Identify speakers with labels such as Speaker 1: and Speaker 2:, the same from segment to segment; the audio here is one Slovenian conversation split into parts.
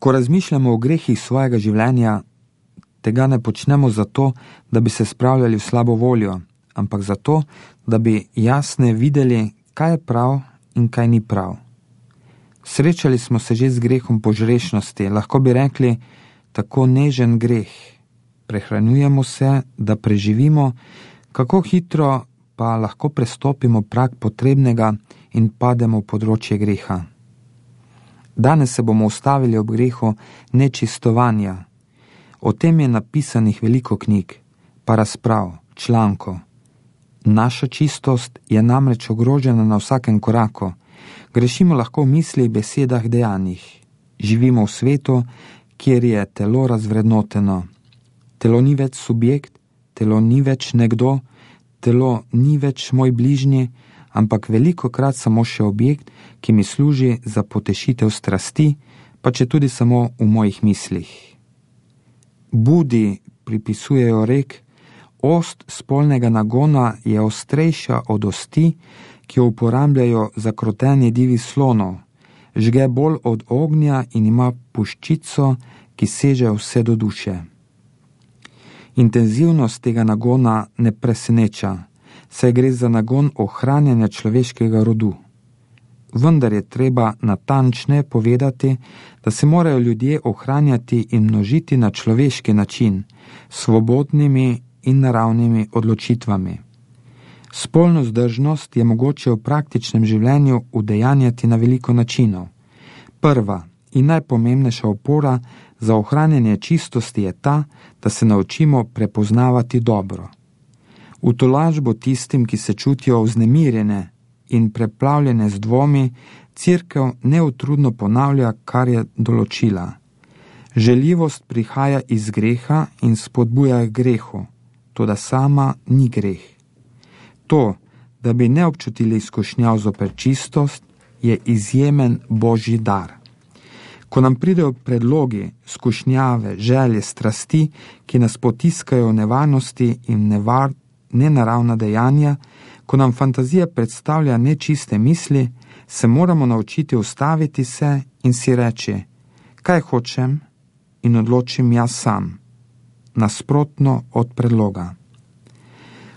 Speaker 1: Ko razmišljamo o grehih svojega življenja, tega ne počnemo zato, da bi se spravljali v slabo voljo, ampak zato, da bi jasne videli, kaj je prav in kaj ni prav. Srečali smo se že z grehom požrešnosti, lahko bi rekli, tako nežen greh. Prehranjujemo se, da preživimo, kako hitro pa lahko prestopimo prag potrebnega in pademo v področje greha. Danes se bomo ustavili ob grehu nečistovanja. O tem je napisanih veliko knjig, pa razprav, člankov. Naša čistost je namreč ogrožena na vsakem koraku. Grešimo lahko v mislih, besedah, dejanjih. Živimo v svetu, kjer je telo razvrednoteno. Telo ni več subjekt, telo ni več nekdo, telo ni več moj bližnji, ampak velikokrat samo še objekt, ki mi služi za potešitev strasti, pa če tudi samo v mojih mislih. Budi pripisujejo rek, ost spolnega nagona je ostrejša od osti, ki jo uporabljajo za krotenje divjih slonov, žge bolj od ognja in ima puščico, ki seže vse do duše. Intenzivnost tega nagona ne preseneča, saj gre za nagon ohranjanja človeškega rodu. Vendar je treba natančneje povedati, da se morajo ljudje ohranjati in množiti na človeški način, svobodnimi in naravnimi odločitvami. Spolno vzdržnost je mogoče v praktičnem življenju udejanjati na veliko načinov. Prva in najpomembnejša opora za ohranjanje čistosti je ta, da se naučimo prepoznavati dobro. V tolažbo tistim, ki se čutijo vznemirjene in preplavljene z dvomi, Cerkev neutrudno ponavlja, kar je določila. Željivost prihaja iz greha in spodbuja k grehu, toda sama ni greh. To, da bi ne občutili izkušnjav zoper čistost, je izjemen Božji dar. Ko nam pridejo predlogi, skušnjave, želje, strasti, ki nas potiskajo v nevarnosti in nenaravna dejanja, ko nam fantazija predstavlja nečiste misli, se moramo naučiti ustaviti se in si reči, kaj hočem in odločim jaz sam, nasprotno od predloga.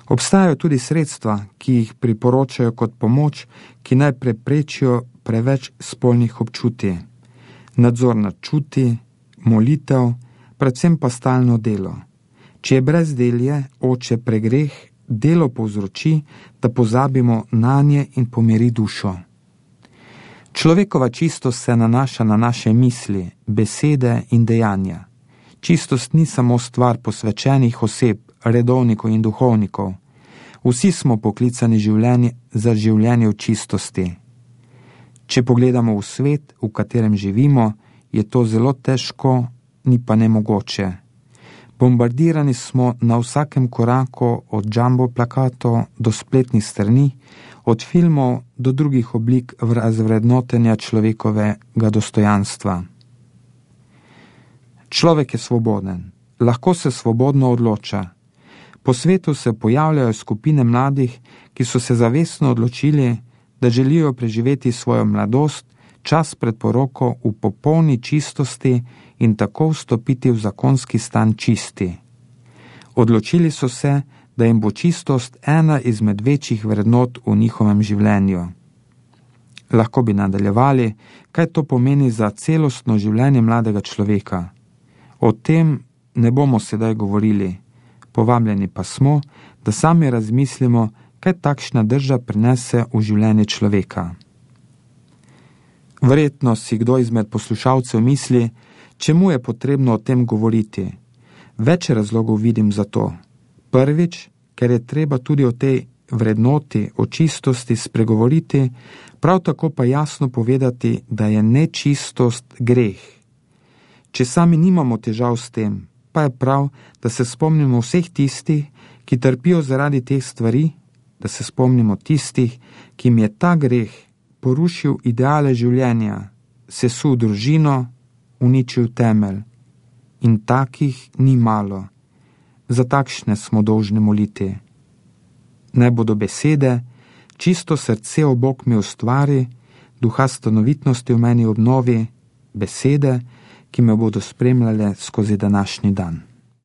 Speaker 1: Obstajajo tudi sredstva, ki jih priporočajo kot pomoč, ki naj preprečijo preveč spolnih občutij. Nadzor nad čuti, molitev, predvsem pa stalno delo. Če je brezdelje, oče pregreh, delo povzroči, da pozabimo nanje in pomiri dušo. Človekova čistost se nanaša na naše misli, besede in dejanja. Čistost ni samo stvar posvečenih oseb, redovnikov in duhovnikov. Vsi smo poklicani za življenje v čistosti. Če pogledamo v svet, v katerem živimo, je to zelo težko, ni pa nemogoče. Bombardirani smo na vsakem koraku od jumbo plakatov do spletnih strani, od filmov do drugih oblik razvrednotenja človekovega dostojanstva. Človek je svoboden, lahko se svobodno odloča. Po svetu se pojavljajo skupine mladih, ki so se zavestno odločili, da želijo preživeti svojo mladost, čas pred poroko v popolni čistosti in tako vstopiti v zakonski stan čisti. Odločili so se, da jim bo čistost ena izmed večjih vrednot v njihovem življenju. Lahko bi nadaljevali, kaj to pomeni za celostno življenje mladega človeka. O tem ne bomo sedaj govorili, povabljeni pa smo, da sami razmislimo, kaj takšna drža prinese v življenje človeka. Verjetno si kdo izmed poslušalcev misli, čemu je potrebno o tem govoriti. Več razlogov vidim za to. Prvič, ker je treba tudi o tej vrednoti, o čistosti spregovoriti, prav tako pa jasno povedati, da je nečistost greh. Če sami nimamo težav s tem, pa je prav, da se spomnimo vseh tistih, ki trpijo zaradi teh stvari, da se spomnimo tistih, ki jim je ta greh porušil ideale življenja, sesul družino, uničil temelj. In takih ni malo. Za takšne smo dolžni moliti. Naj bodo besede, čisto srce o Bog mi ustvari, duha stanovitnosti v meni obnovi, besede, ki me bodo spremljale skozi današnji dan.